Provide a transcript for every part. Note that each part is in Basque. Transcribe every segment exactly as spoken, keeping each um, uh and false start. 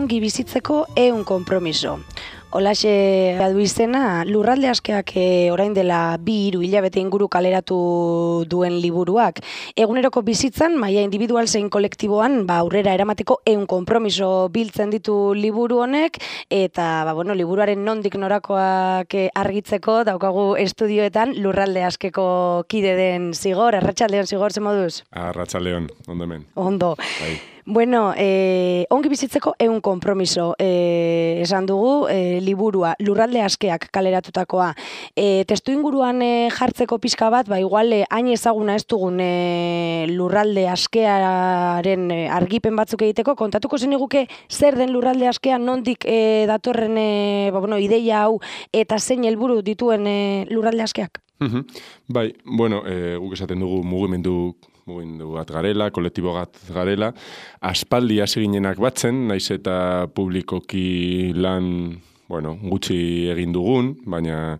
ongi bizitzeko ehun konpromiso. Holaxe du izena, Lurralde Askeak e, orain dela bi hiru hilabete inguru kaleratu duen liburuak. Eguneroko bizitzan, maila individual zein kolektiboan, ba, aurrera eramateko ehun konpromiso biltzen ditu liburu honek, eta ba, bueno, liburuaren nondik norakoak argitzeko daukagu estudioetan Lurralde Askeko kide den Zigor. Arratsaldeon, Zigor, ze moduz? Arratsaldeon, ondo hemen. Ondo. Bai. Bueno, eh, ongi bizitzeko ehun konpromiso eh, esan dugu, eh, liburua Lurralde Askeak kaleratutakoa. Eh, testu inguruan eh, jartzeko pixka bat, ba igual eh, hain ezaguna ez dugun eh, Lurralde Askearen eh, argipen batzuk egiteko, kontatuko zeniguke zer den Lurralde Askea, nondik eh, datorren eh, ba, bueno, ideia hau eta zein helburu dituen eh, Lurralde Askeak? Bai, bueno, eh, guk esaten dugu mugimendu mugimendu bat garela, kolektibo bat garela, aspaldi hasi ginenak batzen, naiz eta publikoki lan, bueno, gutxi egin dugun, baina,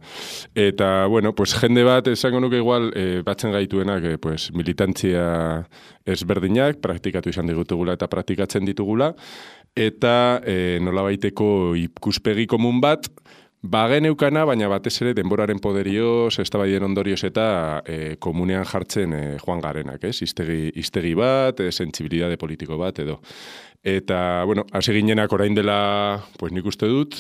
eta, bueno, pues jende bat, esango nuke igual, eh, batzen gaituenak, eh, pues, militantzia ezberdinak, praktikatu izan digutugula eta praktikatzen ditugula, eta eh, nolabaiteko ikuspegi komun bat, bagen eukana, baina batez ere denboraren poderioz, eztabaiden ondorioz eta e, komunean jartzen e, joan garenak, ez? Iztegi, iztegi bat, e, sentsibilitate politiko bat edo. Eta, bueno, hasi ginenak orain dela, pues nik uste dut,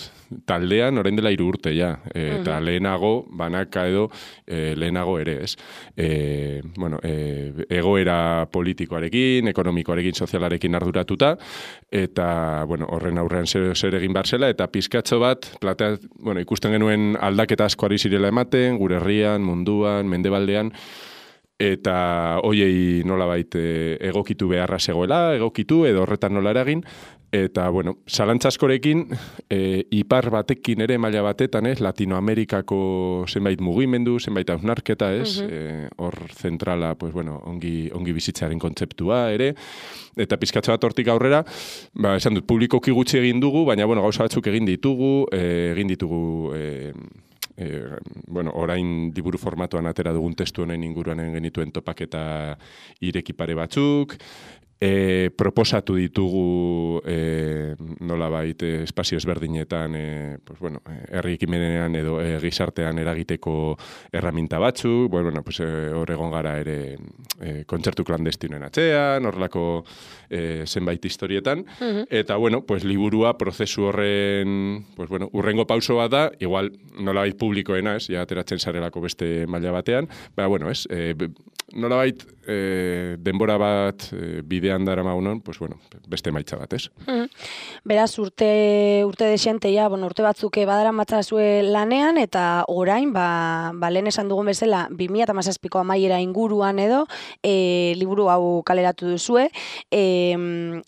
taldean orain dela hiru urte, ja. E, eta uh-huh. lehenago, banaka edo, e, lehenago ere, ez? E, bueno, e, egoera politikoarekin, ekonomikoarekin, sozialarekin arduratuta, eta, bueno, horren aurrean zer, zer egin barzela, eta pizkatxo bat, platea, bueno, ikusten genuen aldaketa asko ari zirela ematen, gure herrian, munduan, mendebaldean, eta hoiei nolabait egokitu beharra zegoela, egokitu edo horretan nola eragin, eta, bueno, zalantzaskorekin, e, ipar batekin ere maila batetan, ez, Latinoamerikako zenbait mugimendu, zenbait hausnarketa, ez, uh-huh. e, hor zentrala, pues, bueno, ongi, ongi bizitzaren kontzeptua ere, eta pizkatxo bat hortik aurrera, ba, esan dut, publikoki gutxi egin dugu, baina, bueno, gauza batzuk egin ditugu, e, egin ditugu, e, E, bueno, orain liburu formatuan atera dugun testu honen inguruan genituen topaketa irekipare batzuk, e, proposatu ditugu e, nolabait espazio ezberdinetan, e, pues, bueno, herri ekimenean edo e, gizartean eragiteko erraminta batzuk, bueno, pues, e, hor egon gara ere e, kontzertu klandestinoen atzean, horrelako e, zenbait historietan, uh-huh. eta, bueno, pues, liburua prozesu horren, pues, bueno, urrengo pauso bat da, igual nolabait publikoena, ez, ja ateratzen zarelako beste maila batean, baina, bueno, ez, e, nolabait e, denbora bat e, bidean dara maunon, pues, bueno, beste maitza bat, ez? Mm. Beraz, urte, urte desienteia, bueno, urte batzuk badara matzazue lanean, eta orain, ba, ba lehen esan dugun bezala, bi mila hamazazpiko amaiera inguruan edo, e, liburu hau kaleratu duzue, e,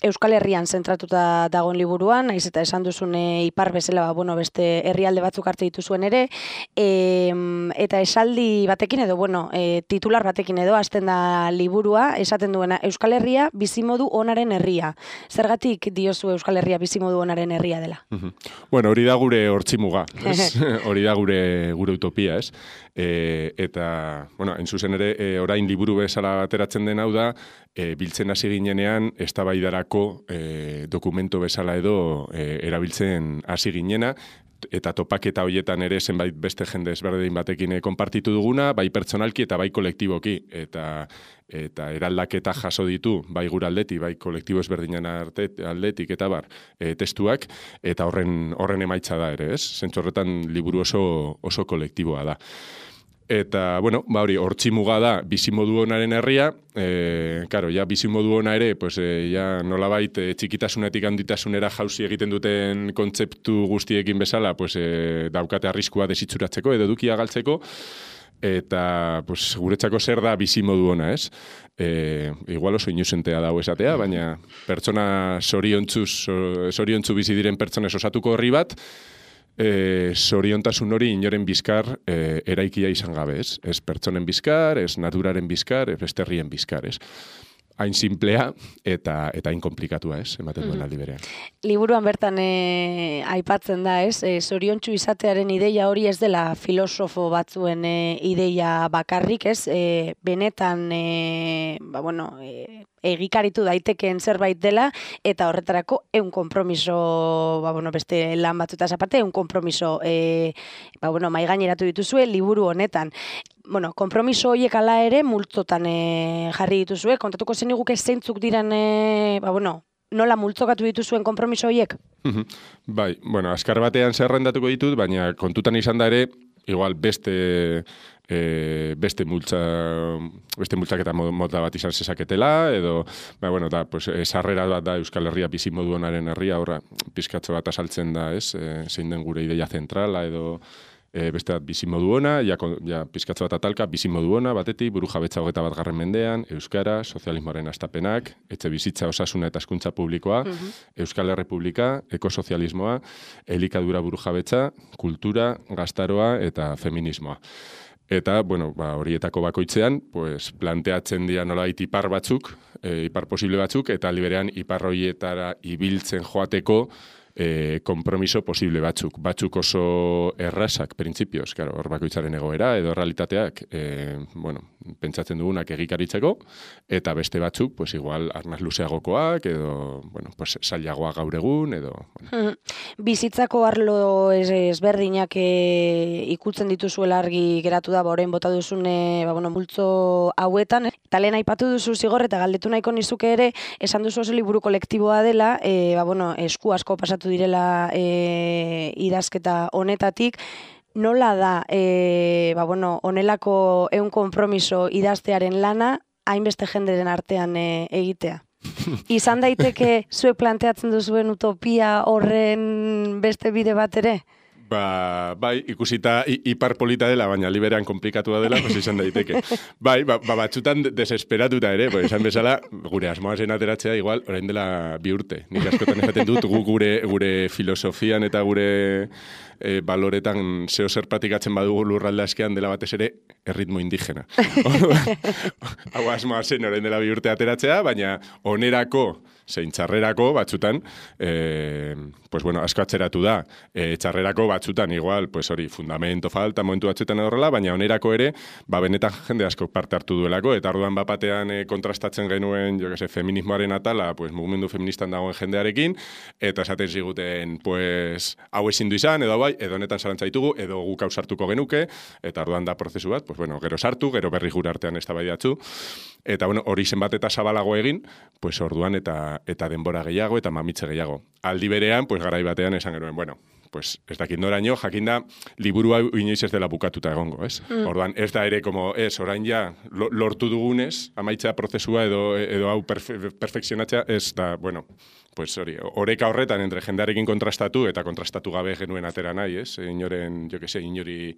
Euskal Herrian zentratuta dagoen liburuan, naiz eta esan duzune ipar bezala, ba, bueno, beste herrialde batzuk hartu dituzuen ere, e, eta esaldi batekin edo, bueno, e, titular batekin edo, hasten da liburua, esaten duena, Euskal Herria bizimodu onaren herria. Zergatik diozu Euskal Herria bizimodu onaren herria dela? Uh-huh. Bueno, hori da gure hortzimuga, hori da gure, gure utopia, ez? E, eta, bueno, en zuzen ere, e, orain liburu bezala ateratzen den hau da, e, biltzen hasi ginenean, eztabaidarako e, dokumento bezala edo e, erabiltzen hasi ginena, eta topaketa hoietan ere zenbait beste jende ezberdin batekin konpartitu duguna, bai pertsonalki eta bai kolektiboki, eta eta eraldaketa jaso ditu, bai gure aldetik, bai kolektibo ezberdinen arte, aldetik eta bar, e, testuak, eta horren horren emaitza da ere, ez? Zentzu horretan liburu oso, oso kolektiboa da. Eta, bueno, ba hori, hortzimuga da bizimodu onaren herria, e, karo, ja bizimodu ona ere, pues, e, ja nolabait e, txikitasunetik handitasunera jauzi egiten duten kontzeptu guztiekin bezala, pues, e, daukate arriskua desitzuratzeko edo edukia galtzeko, eta pues, guretzako zer da bizimodu ona, ez? E, igual oso inusentea dago esatea, baina pertsona zoriontzuz, zoriontzu bizi diren pertsonez osatuko horri bat, E, zoriontasun hori inoren bizkar e, eraikia izan gabe, ez? Ez pertsonen bizkar, ez naturaren bizkar, ez beste herrien bizkar, ez? Hain simplea eta eta hain komplikatua, ez? Ematen duen aldi berean. Liburuan bertan e, aipatzen da, ez? E, zoriontsu izatearen ideia hori ez dela filosofo batzuen e, ideia bakarrik, ez? E, benetan, e, ba, bueno, e, egikaritu daitekeen zerbait dela, eta horretarako eun konpromiso, ba, bueno, beste lan batzutaz aparte, eun konpromiso e, ba, bueno, maigaineratu dituzue liburu honetan. Bueno, konpromiso horiek ala ere multzotan e, jarri dituzue, kontatuko zeniguke zeintzuk diran, e, ba, bueno, nola multzokatu dituzuen konpromiso horiek? Bai, bueno, azkar batean zerrendatuko ditut, baina kontutan izan da ere, igual beste e, beste multza beste multzaketa mota bat izan zezaketela, edo, ba, bueno, da, pues, sarrera bat da Euskal Herria bizimodu honaren herria, horra, pizkatxo bat asaltzen da, ez, e, zein den gure ideia zentrala, edo E, beste bat bizimodu ona, ja, ja pizkatzo bat atalka, bizimodu ona, batetik, buru jabetza hogeta bat garren mendean, Euskara, sozialismoaren astapenak, etxe bizitza osasuna eta hezkuntza publikoa, uh-huh. Euskal Errepublika, ekosozialismoa, elikadura buru jabetza, kultura, gaztaroa eta feminismoa. Eta, bueno, ba, horietako bakoitzean, pues, planteatzen dira nolabait ipar batzuk, e, ipar posible batzuk, eta liberean ipar horietara ibiltzen joateko, E, kompromiso posible batzuk. Batzuk oso errazak, printzipioz, claro, hor bakoitzaren egoera, edo realitateak, e, bueno, pentsatzen dugunak egikaritzeko, eta beste batzuk, pues igual, arnaz luzeagokoak, edo, bueno, pues zailagoa gaur egun, edo... Bueno. Bizitzako arlo ezberdinak e, ikutzen dituzuela argi geratu da, orain bota duzune, ba, bueno, multzo hauetan, eta lehen aipatu duzu zigor, eta galdetu nahiko nizuke ere, esan duzu oso liburu kolektiboa dela, e, ba, bueno, esku asko pasatu direla e, idazketa honetatik, nola da, e, ba, bueno, honelako eun konpromiso idaztearen lana, hainbeste jenderen artean e, egitea? Izan daiteke zuek planteatzen duzuen utopia horren beste bide bat ere? Ba, bai, ikusita ipar polita dela, baina liberean komplikatua dela, pues izan daiteke. Bai, ba, ba batzutan desesperatuta ere, pues esan bezala, gure asmoa zen ateratzea, igual, orain dela bi urte. Nik askotan esaten dut, gu gure, gure filosofian eta gure e, baloretan zeo zer patikatzen badugu lurralde askean dela batez ere, erritmo indigena. Hau asmoa zen orain dela bi urte ateratzea, baina onerako, zein txarrerako batzutan, e, pues bueno, asko atzeratu da. E, txarrerako batzutan, igual, pues hori, fundamento falta, momentu batzutan edorrela, baina onerako ere, ba, benetan jende asko parte hartu duelako, eta orduan bapatean e, kontrastatzen genuen, jo que se, feminismoaren atala, pues mugimendu feministan dagoen jendearekin, eta esaten ziguten, pues, hau ezin du izan, edo bai, edo honetan zarantza ditugu, edo guk hau sartuko genuke, eta orduan da prozesu bat, pues bueno, gero sartu, gero berri gure artean eztabaidatzu, eta bueno, hori zenbat eta zabalago egin, pues orduan eta eta denbora gehiago eta mamitze gehiago. Aldi berean, pues garai batean esan genuen, bueno, pues ez dakit noraino, jakinda liburu hau inoiz ez dela bukatuta egongo, ez? Mm. Orduan, ez da ere, como, ez, orain ja, lortu dugunez, amaitzea prozesua edo, edo hau perfe, perfekzionatzea, ez da, bueno, pues hori, oreka horretan entre jendearekin kontrastatu eta kontrastatu gabe genuen atera nahi, ez? Inoren, jo que se, inori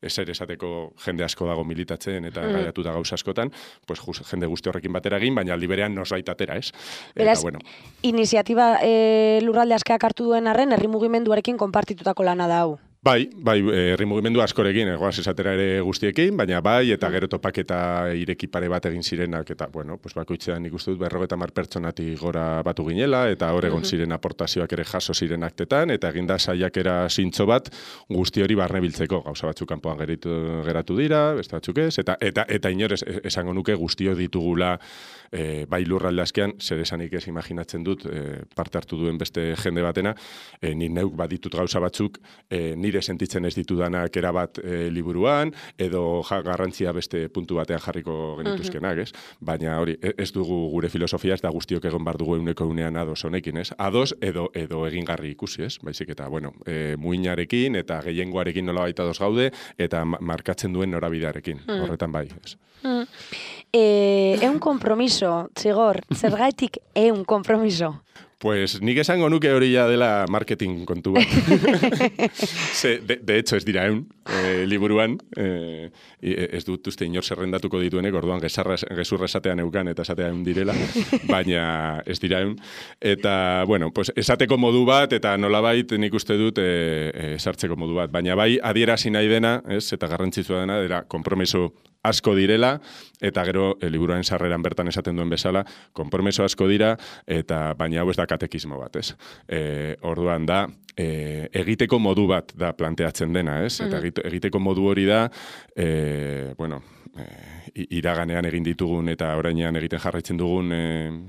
eser esateko jende asko dago militatzen eta mm. gaiatu da gauza askotan, pues just, jende guzti horrekin batera egin, baina liberean nosbait atera, ez? Beraz, eta, bueno. Iniziatiba e, lurralde askeak hartu duen arren, herri mugimenduarekin konpartitutako lana da hau. Bai, bai, herri mugimendu askorekin, egoaz esatera ere guztiekin, baina bai, eta gero topaketa ireki pare bat egin zirenak, eta, bueno, pues bakoitzean nik uste dut berrogeta mar pertsonatik gora batu ginela, eta hor egon ziren aportazioak ere jaso ziren aktetan, eta eginda saiakera zintzo bat guzti hori barne biltzeko, gauza batzuk kanpoan geritu, geratu dira, beste batzuk ez, eta, eta, eta inorez esango nuke guztio ditugula e, bai lurralde askean, zer esanik ez imaginatzen dut, e, parte hartu duen beste jende batena, e, ni neuk baditut gauza batzuk, e, nire sentitzen ez ditudanak erabat e, liburuan, edo ja, garrantzia beste puntu batean jarriko genituzkenak, ez? Baina hori, ez dugu gure filosofia, ez da guztiok egon bar dugu euneko unean ados honekin, ez? Ados edo edo egingarri ikusi, ez? Baizik eta, bueno, e, muinarekin eta gehiengoarekin nola baita ados gaude, eta markatzen duen norabidearekin, mm. horretan bai, ez? Mm. E, eun kompromiso, Txigor, zergaitik eun kompromiso? Pues nik esango nuke hori ja dela marketing kontu bat. Ze, de, de hecho, ez dira eun, e, liburuan, e, ez dut uste inor zerrendatuko dituenek, orduan gezurra esatean eukan eta esatean direla, baina ez dira eun. Eta, bueno, pues esateko modu bat, eta nolabait nik uste dut e, e, sartzeko modu bat. Baina bai adierazi nahi dena, ez, eta garrantzitsua dena, dira konpromiso asko direla, eta gero e, liburuaren sarreran bertan esaten duen bezala, konpromiso asko dira, eta baina hau ez da katekismo bat, ez? E, orduan da, e, egiteko modu bat da planteatzen dena, ez? Eta egiteko modu hori da, e, bueno, e, iraganean egin ditugun eta orainean egiten jarraitzen dugun e,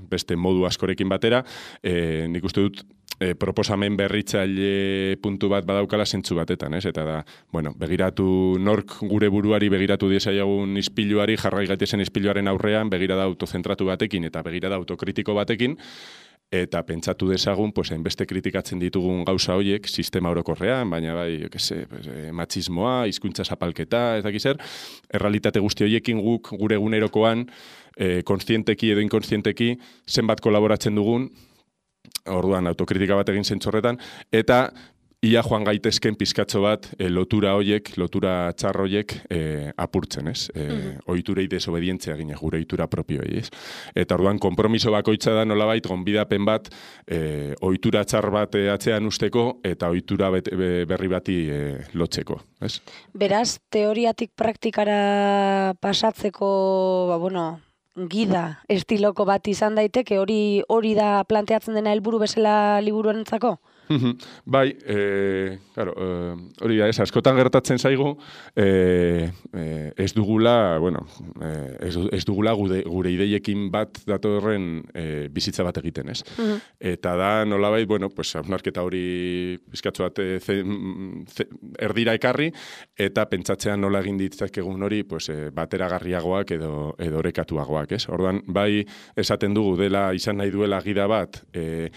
beste modu askorekin batera, e, nik uste dut e, proposamen berritzaile puntu bat badaukala zentzu batetan, ez? Eta da, bueno, begiratu nork gure buruari begiratu diesaiagun ispiluari, jarrai gaitezen ispiluaren aurrean, begirada autozentratu batekin eta begirada autokritiko batekin, eta pentsatu dezagun, pues, hainbeste kritikatzen ditugun gauza horiek, sistema orokorrean, baina bai, jo que se, pues, eh, matxismoa, hizkuntza zapalketa, ez dakiz zer, errealitate guzti horiekin guk gure egunerokoan, eh, konstienteki edo inkonstienteki, zenbat kolaboratzen dugun, orduan autokritika bat egin zentzorretan, eta ia joan gaitezken pizkatxo bat e, lotura hoiek, lotura txar hoiek e, apurtzen, ez? E, mm-hmm. Ohiturei desobedientzia gine, gure ohitura propioei, ez? Eta orduan konpromiso bakoitza da nolabait gonbidapen bat e, ohitura txar bat e, atzean usteko eta ohitura bet, be, berri bati e, lotzeko, ez? Beraz, teoriatik praktikara pasatzeko, ba, bueno, gida estiloko bat izan daiteke, hori hori da planteatzen dena helburu bezala liburuarentzako? Bai, e, claro, e, hori da, ez, askotan gertatzen zaigu, e, e, ez dugula, bueno, e, ez, ez dugula gure, gure ideiekin bat datorren e, bizitza bat egiten, ez? Uh-huh. Eta da, nolabait, bueno, pues, hausnarketa hori bizkatzu bat e, ze, ze, erdira ekarri, eta pentsatzean nola egin ditzakegun hori, pues, e, bateragarriagoak edo, edo orekatuagoak, ez? Orduan, bai, esaten dugu dela, izan nahi duela gida bat, e,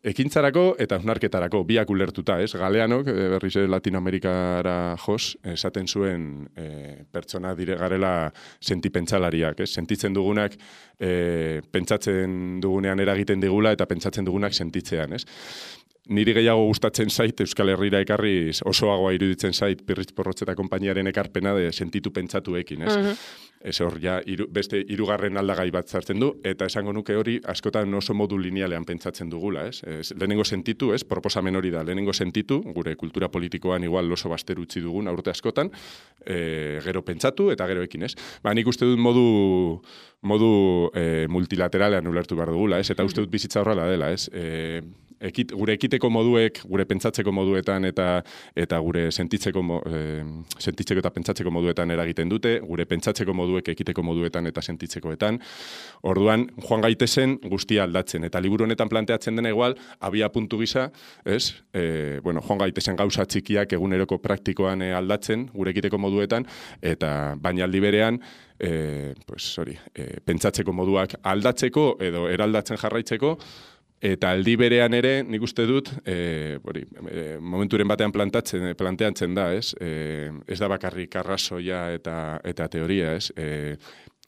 ekintzarako eta hausnarketarako biak ulertuta, ez? Galeanok, berriz Latinoamerikara jos, esaten zuen e, pertsona dire garela sentipentsalariak, ez? Sentitzen dugunak e, pentsatzen dugunean eragiten digula eta pentsatzen dugunak sentitzean, ez? Niri gehiago gustatzen zait Euskal Herrira ekarriz osoagoa iruditzen zait Pirritx Porrotx eta konpainiaren ekarpena de sentitu pentsatuekin, ez? Uh-huh. Ez hor, ja, iru, beste hirugarren aldagai bat zartzen du, eta esango nuke hori askotan oso modu linealean pentsatzen dugula, ez? Ez lehenengo sentitu, ez? Proposamen hori da, lehenengo sentitu, gure kultura politikoan igual oso baster utzi dugun aurte askotan, e, gero pentsatu eta gero ekin, ez? Ba, nik uste dut modu, modu e, multilateralean ulertu behar dugula, ez? Eta uste dut bizitza horrela dela, ez? E, Ekit, gure ekiteko moduek, gure pentsatzeko moduetan eta eta gure sentitzeko, e, sentitzeko eta pentsatzeko moduetan eragiten dute, gure pentsatzeko moduek ekiteko moduetan eta sentitzekoetan. Orduan, joan gaitezen guztia aldatzen. Eta liburu honetan planteatzen dena igual, abia puntu gisa, ez? E, bueno, joan gaitezen gauza txikiak eguneroko praktikoan e, aldatzen, gure ekiteko moduetan, eta baina aldi berean, e, pues, sorry, e, pentsatzeko moduak aldatzeko edo eraldatzen jarraitzeko, eta aldi berean ere, nik uste dut, e, bori, e, momenturen batean plantatzen, planteatzen da, ez? E, ez da bakarrik arrazoia eta, eta teoria, ez? E,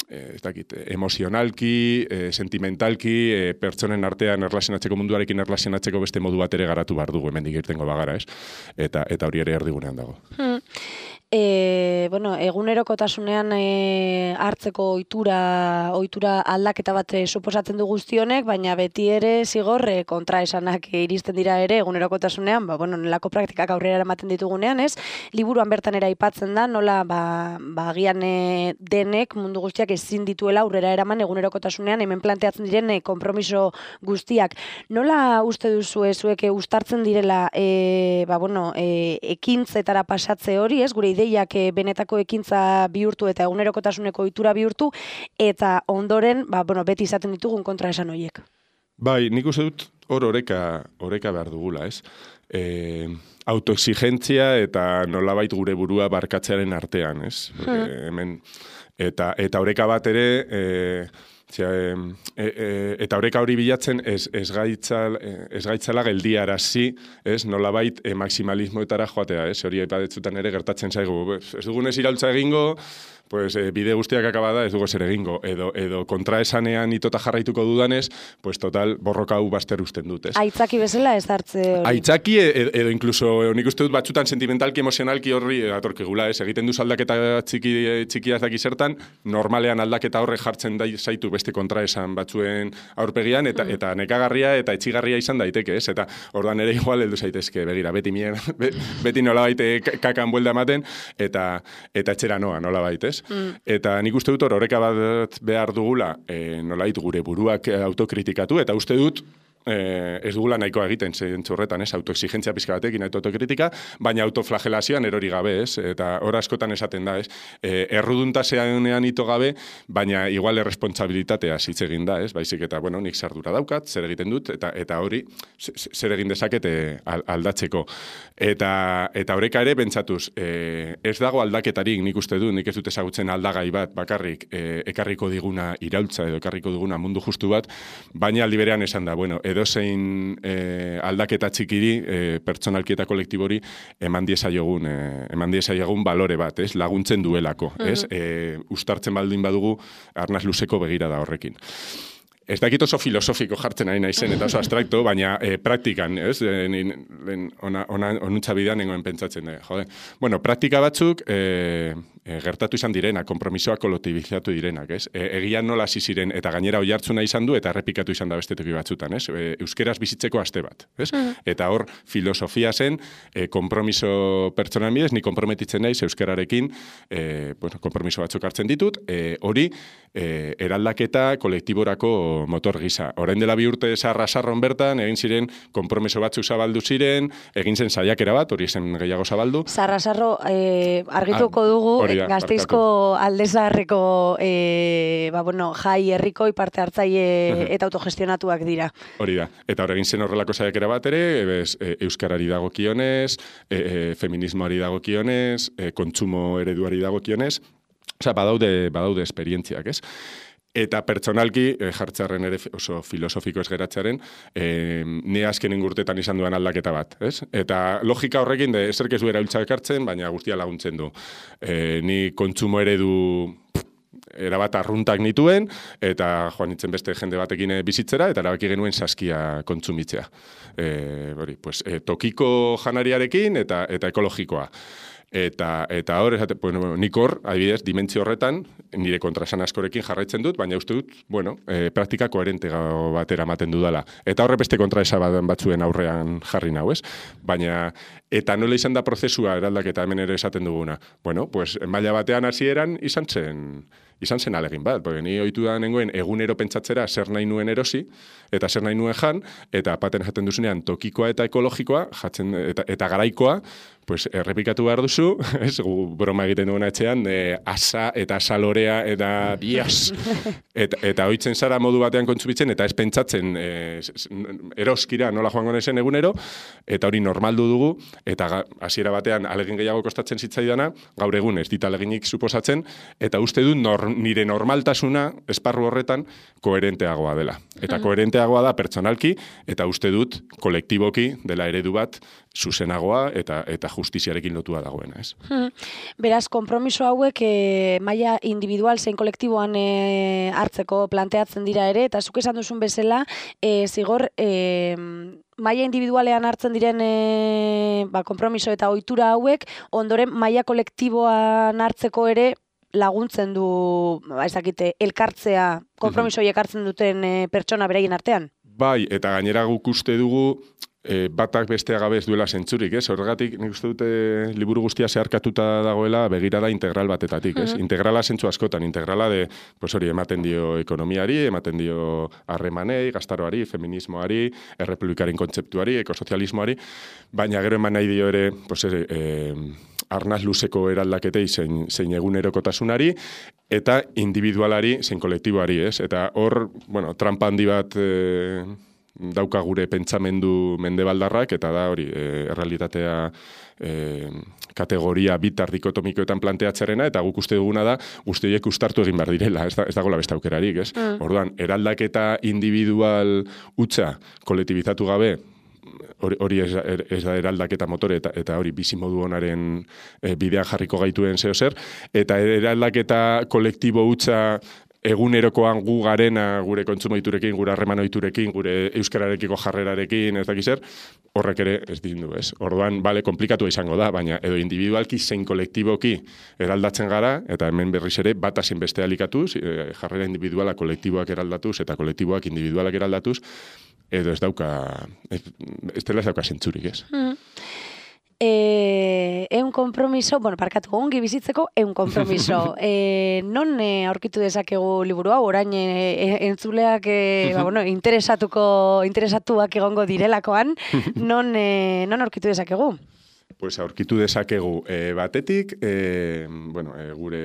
ez dakit, emozionalki, e, sentimentalki, e, pertsonen artean erlazionatzeko munduarekin erlazionatzeko beste modu bat ere garatu behar dugu, hemendik irtengo bagara, ez? Eta, eta hori ere erdigunean dago. Hmm. E, bueno, egunerokotasunean e, hartzeko ohitura ohitura aldaketa bat e, suposatzen du guztionek, baina beti ere zigor e, kontraesanak e, iristen dira ere egunerokotasunean, ba, bueno, nelako praktikak aurrera eramaten ditugunean, ez? Liburuan bertan era aipatzen da, nola ba, ba, agian e, denek mundu guztiak ezin dituela aurrera eraman egunerokotasunean hemen planteatzen diren e, konpromiso guztiak. Nola uste duzu zuek e, uztartzen direla e, ba, bueno, e, ekintzetara pasatze hori, ez? Gure ideiak benetako ekintza bihurtu eta egunerokotasuneko ohitura bihurtu, eta ondoren, ba, bueno, beti izaten ditugun kontraesan horiek. Bai, nik uste dut hor oreka, oreka behar dugula, ez? E, autoexigentzia eta nolabait gure burua barkatzearen artean, ez? Hmm. E, hemen, eta, eta oreka bat ere... E, Zia, e, e, eta oreka hori bilatzen ez, ez, gaitzal, ez gaitzala geldiarazi, ez, nolabait e, maksimalismoetara joatea, ez, hori aipadetzutan ere gertatzen zaigu, ez dugunez iraultza egingo, pues, e, bide guztiak akabada ez dugu zer egingo, edo, edo kontraesanean itota jarraituko dudanez, pues total borroka hau baster usten dut, ez. Aitzaki bezala ez hartze hori. Aitzaki edo, edo incluso, nik uste dut batzutan sentimentalki, emozionalki horri atorkegula, ez, egiten duz aldaketa txiki, txikia ez daki zertan, normalean aldaketa horre jartzen da zaitu beste kontraesan batzuen aurpegian, eta, mm. eta nekagarria eta etxigarria izan daiteke, ez, eta ordan ere igual heldu zaitezke, begira, beti mien, beti nolabait kakan buelda ematen, eta, eta etxera noa, nolabait, ez. Mm. Eta nik uste dut hor, horreka bat behar dugula, e, nolait gure buruak autokritikatu, eta uste dut, eh, ez dugula nahikoa egiten zentzu horretan, ez, autoexigentzia pizka batekin, autokritika, baina autoflagelazioan erori gabe, ez, eta hor askotan esaten da, ez, e, erruduntaseanean ito gabe, baina igual erresponsabilitatea hitz egin da, ez, baizik eta, bueno, nik zardura daukat, zer egiten dut, eta eta hori, zer egin dezakete aldatzeko. Eta, eta horreka ere, bentsatuz, e, ez dago aldaketarik, nik uste du, nik ez dut ezagutzen aldagai bat, bakarrik, e, ekarriko diguna iraultza, edo ekarriko diguna mundu justu bat, baina aldi berean esan da, bueno, edozein e, aldaketa txikiri, e, pertsonalki eta kolektibori, eman diesaiogun, e, eman diesaiogun balore bat, ez, laguntzen duelako, ez, e, ustartzen baldin badugu, arnaz luzeko begira da horrekin. Ez dakit oso filosofiko jartzen ari naizen, eta oso abstrakto, baina e, praktikan, ez? E, ona, ona, onuntza bidean nengoen pentsatzen, e, jode. Bueno, praktika batzuk e, e, gertatu izan direna, kompromisoa kolektibizatu direnak, ez? E, egian nola hasi ziren, eta gainera oihartzuna izan du, eta errepikatu izan da beste toki batzutan, ez? E, euskeraz bizitzeko aste bat, ez? Mm. Eta hor, filosofia zen, e, kompromiso pertsonan bidez, ni komprometitzen naiz euskararekin, e, bueno, kompromiso batzuk hartzen ditut, e, hori, e, eraldaketa kolektiborako motor gisa. Orain dela bi urte sarra-sarron bertan, egin ziren konpromiso batzuk zabaldu ziren, egin zen saiakera bat, hori zen gehiago zabaldu. Sarra-sarro eh, argituko dugu, da, Gasteizko aldezaharreko eh, ba, bueno, jai herrikoi parte hartzaile eta autogestionatuak dira. Hori da. Eta hor egin zen horrelako saiakera bat ere, ebez, e, euskarari dagokionez, e, e, feminismoari dagokionez, e, kontsumo ereduari dagokionez, osea, badaude, badaude esperientziak, ez? Eta pertsonalki, e, jartzearen ere oso filosofiko ez geratzearen, e, ni azkenen urtetan izan duan aldaketa bat, ez? Eta logika horrekin, de eserk ez du erabiltza ekartzen, baina guztia laguntzen du. E, ni kontsumo eredu erabat arruntak nituen, eta joan nintzen beste jende batekin bizitzera, eta erabaki genuen saskia kontsumitzea. E, hori, pues, e, tokiko janariarekin eta, eta ekologikoa. Eta, eta hor, esate, bueno, nik hor, adibidez, dimentsio horretan, nire kontrasan askorekin jarraitzen dut, baina uste dut, bueno, e, praktika koherente batera ematen dudala. Eta horre beste kontraesa batzuen aurrean jarri nau, ez? Baina, eta nola izan da prozesua eraldaketa hemen ere esaten duguna. Bueno, pues, maila batean hasieran izan zen, izan zen alegin bat, porque ni ohitu da nengoen egunero pentsatzera zer nahi nuen erosi, eta zer nahi nuen jan, eta paten jaten duzunean tokikoa eta ekologikoa, jatzen, eta, eta garaikoa, pues errepikatu behar duzu, ez, gu broma egiten duguna etxean, e, asa eta salorea eta bias, eta, eta oitzen zara modu batean kontsumitzen, eta ez pentsatzen e, eroskira nola joango nezen egunero, eta hori normaldu dugu, eta hasiera batean alegin gehiago kostatzen zitzaidana, gaur egun ez dit aleginik suposatzen, eta uste dut nor, nire normaltasuna esparru horretan koherenteagoa dela. Eta koherenteagoa da pertsonalki, eta uste dut kolektiboki dela eredu bat zuzenagoa eta eta justiziarekin lotua dagoena, ez? Hmm. Beraz, konpromiso hauek e, maila individual zein kolektiboan e, hartzeko planteatzen dira ere, eta zuk esan duzun bezala, e, zigor, e, maila individualean hartzen diren e, ba, konpromiso eta ohitura hauek, ondoren maila kolektiboan hartzeko ere laguntzen du, ba, ezakite, elkartzea, konpromiso horiek hartzen duten e, pertsona beraien artean? Bai, eta gainera guk uste dugu, E, batak bestea gabe ez duela zentzurik, ez? Horregatik, nik uste dute liburu guztia zeharkatuta dagoela begirada integral batetatik, ez? Uh-huh. Integrala zentzu askotan, integrala de, pues hori, ematen dio ekonomiari, ematen dio harremanei, gaztaroari, feminismoari, errepublikaren kontzeptuari, ekosozialismoari, baina gero eman nahi dio ere, pues ere, e, arnaz luzeko eraldaketei zein, zein egunerokotasunari, eta individualari zein kolektiboari, ez? Eta hor, bueno, trampa handi bat e, dauka gure pentsamendu mendebaldarrak, eta da hori, e, errealitatea e, kategoria bitar dikotomikoetan planteatzarena, eta guk uste duguna da, guzti horiek ustartu egin behar direla, ez, da, ez dagoela beste aukerarik, ez? Mm. Orduan, eraldaketa individual hutsa kolektibizatu gabe, hori, hori ez, ez da eraldaketa motore, eta, eta hori bizimodu honaren e, bidean jarriko gaituen zeo zer, eta eraldaketa kolektibo hutsa egunerokoan gu garena, gure kontsumo ohiturekin, gure harreman ohiturekin, gure euskararekiko jarrerarekin, ez dakiz zer, horrek ere ez dindu, ez? Orduan, bale, komplikatu izango da, baina edo individualki zein kolektiboki eraldatzen gara, eta hemen berriz ere bata zein beste alikatuz, jarrera individuala kolektiboak eraldatuz, eta kolektiboak individualak eraldatuz, edo ez dauka, ez, ez dela ez dauka zentzurik, ez? Mm. E, eun kompromiso, bueno, parkatu, ongi bizitzeko eun kompromiso. e, non e, aurkitu dezakegu liburu hau, orain e, entzuleak e, ba, bueno, interesatuko, interesatuak egongo direlakoan, non, e, non aurkitu dezakegu? Pues aurkitu dezakegu e, batetik, e, bueno, e, gure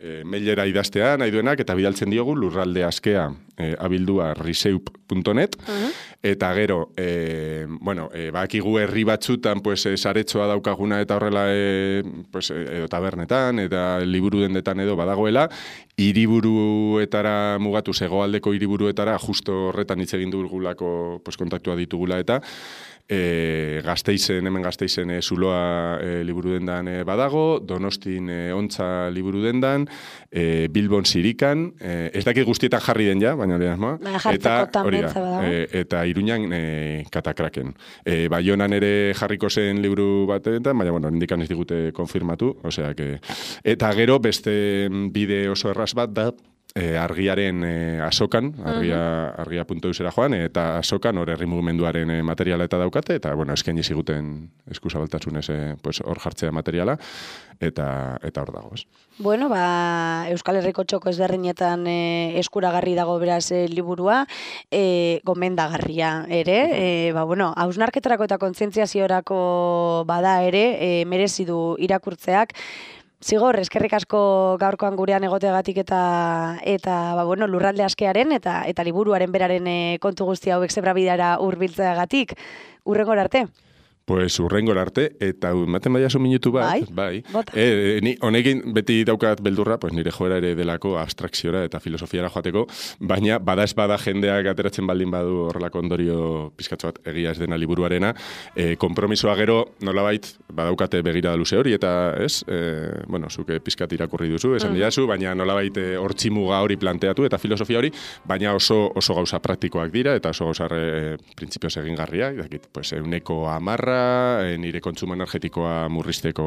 e, mailera idaztea nahi duenak, eta bidaltzen diogu lurralde askea e, abildua riseup punto net, uh-huh. Eta gero, e, bueno, e, bakigu herri batzutan, pues, e, saretxoa daukaguna eta horrela, e, pues, edo tabernetan, eta liburu dendetan edo badagoela, hiriburuetara mugatu, zegoaldeko hiriburuetara, justo horretan hitz egin dugulako, pues, kontaktua ditugula eta, E, Gasteizen, hemen Gasteizen e, zuloa e, liburu dendan e, badago, Donostin e, ontza liburu dendan, e, Bilbon zirikan, e, ez dakit guztietan jarri den ja, baina hori asmoa, eta hori da, e, eta Iruñan e, katakraken. E, Baionan ere jarriko zen liburu batetan, baina bueno, indikan ez digute konfirmatu, osea que, eta gero beste bide oso erraz bat da, E, argiaren e, asokan, argia, argia puntu eusera joan, eta asokan hor herri mugimenduaren e, materiala eta daukate, eta, bueno, eskaini ziguten eskuzabaltasunez e, pues, hor jartzea materiala, eta eta hor dago, ez. Bueno, ba, Euskal Herriko txoko ezberdinetan e, eskuragarri dago beraz e, liburua, e, gomendagarria ere, e, ba, bueno, hausnarketarako eta kontzientziaziorako bada ere, e, merezi du irakurtzeak. Zigor, eskerrik asko gaurkoan gurean egoteagatik eta eta ba, bueno, lurralde askearen eta eta liburuaren beraren e, kontu guzti hauek zebrabidara hurbiltzeagatik. Hurrengora arte. Pues urrengor arte, eta ematen baiazu minutu bat, bai, bai. E, ni honekin beti daukat beldurra, pues nire joera ere delako abstrakziora eta filosofiara joateko, baina bada ez bada jendeak ateratzen baldin badu horrelako ondorio pizkatxo bat egia ez dena liburuarena, e, konpromisoa gero nolabait badaukate begirada luze hori, eta ez, e, bueno, zuke pizkat irakurri duzu, esan mm. diazu, baina nolabait hortzimuga hori planteatu eta filosofia hori, baina oso oso gauza praktikoak dira, eta oso gauza e, printzipioz egingarriak, dakit, pues, euneko amarra, E, nire kontsumo energetikoa murrizteko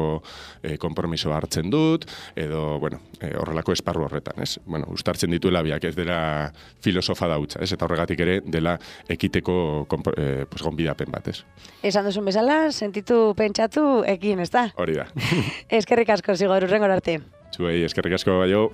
e, konpromisoa hartzen dut, edo, bueno, e, horrelako esparru horretan, ez? Bueno, ustartzen dituela biak, ez dela filosofa dautza, ez? Eta horregatik ere dela ekiteko e, pues, gonbidapen bat, ez? Esan duzun bezala, sentitu pentsatu ekin, ez da? Hori da. Eskerrik asko, Zigor, hurrengora arte. Zuei, eskerrik asko, baio.